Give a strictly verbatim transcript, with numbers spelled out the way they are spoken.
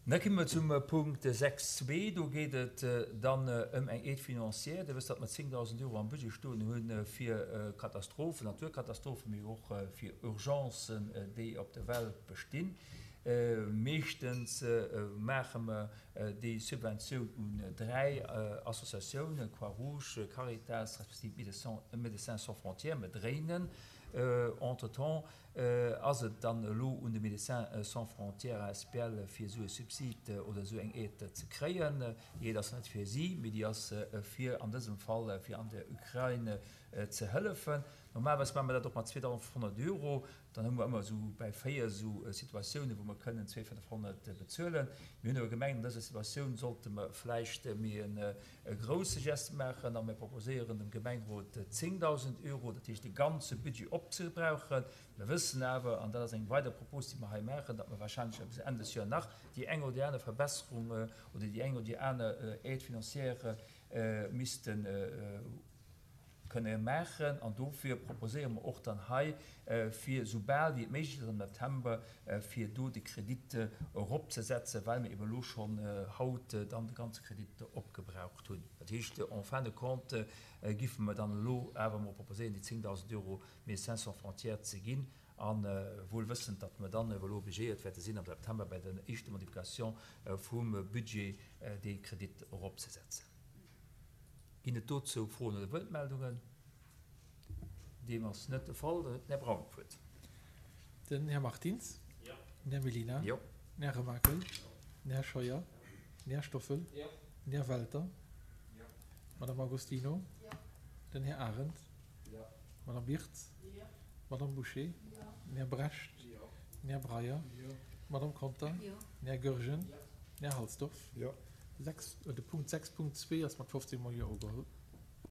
Da komme mer zum Punkt sechs zwee. Do geet et dann ëm eng Aide financière. Dir wësst, datt mer zéngdausend Euro am Budget stoen hunn fir Katastrophen, Naturkatastrophen, mee och fir Urgencen, déi op der Welt bestinn. Meeschtens maache mer déi Subventioun un dräi Associatiounen, Croix-Rouge, Caritas respektiv Médecins sans frontières. Mer dréinen entretemps. Ass et dann elo un de Médecins sans frontières asbl fir esou e Subsid oder esou eng Aide ze kréien? Déi Aide ass net fir si, mee déi ass fir an dësem Fall fir an der Ukrain ze hëllefen. Normalerweis maache mer dat och mat zweedausendfënnfhonnert Euro. Dann hu mer ëmmer esou bäi véier esou Situatiounen, wou mer kënnen zweedausendfënnfhonnert bezuelen. Mir hunn awer gemengt, an dëser Situatioun sollte mer vläicht méi e grousse Geste maachen a mir proposéieren dem Gemengerot zéngdausend Euro, dat heescht de ganze Budget opzebrauchen. Mir wëssen awer, an dat ass eng weider Propos, déi mer hei maachen, datt mer wahrscheinlech bis Enn des Joers nach déi eng oder déi aner Verbesserung oder déi eng oder déi aner Aide financière misste kënne maachen. An dofir proposéiere mer och dann hei, fir soubal wéi et méiglech ass am September, fir do de Kredit eropzesetzen, well mer eben elo schonn haut dann de ganze Kredit opgebraucht hunn. Dat heescht, en fin de compte giffe mer dann elo awer emol proposéieren, déi zéngdausend Euro Médecins sans frontières ze ginn, a wuel wëssend, datt mer dann elo obligéiert wäerte sinn, am September bei der éischter Modification vum Budget dee Kredit eropzesetzen. Ginn et dozou Froen oder Wuertmeldungen? Deem ass net de Fall. Dann huet den Här Braun d'Wuert. Den Här Martins. Jo. Den Här Mellina. Jo. Den Här Remakel. Den Här Scheuer. Den Här Stoffel. Jo. Den Här Welter. Jo. D'Madame Agostino. Jo. Den Här Arendt. Jo. D'Madame Wirtz. Jo. D'Madame Bouché. Jo. Den Här Brecht. Jo. Den Här Breyer. Jo. D'Madame Conter. Jo. Den Här Goergen. Jo. Den Här Halsdorf. Jo. Sechs, de Punkt sechs Punkt zwee ass mat fofzéng mol Jo ugeholl.